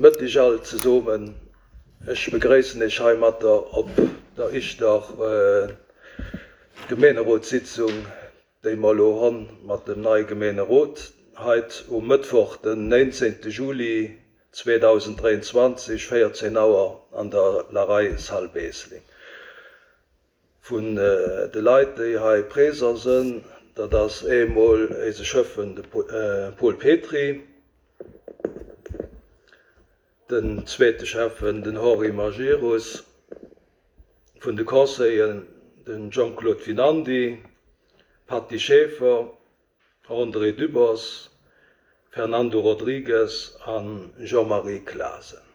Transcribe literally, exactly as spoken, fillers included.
Mëtteg all zesummen. Ech begréissen Iech heimatter op der ischter Gemeenerotssitzung, déi mer elo honn mat dem neie Gemeenerot, heit um Mëttwoch, den néinzéngte Juli zweedausenddräianzwanzeg, véierzéng Auer an der Larei Salle Beesling. Vun de Leit, déi hei présent sënn, dat ass eemol éise Schëffen, de Paul Petry, den zweete Schäffen, den Henri Majerus, vun de Conseilleren den Jean-Claude Winandy, Patty Schaeffer, André Dübbers, Fernando Rodrigues a Jean-Marie Clasen.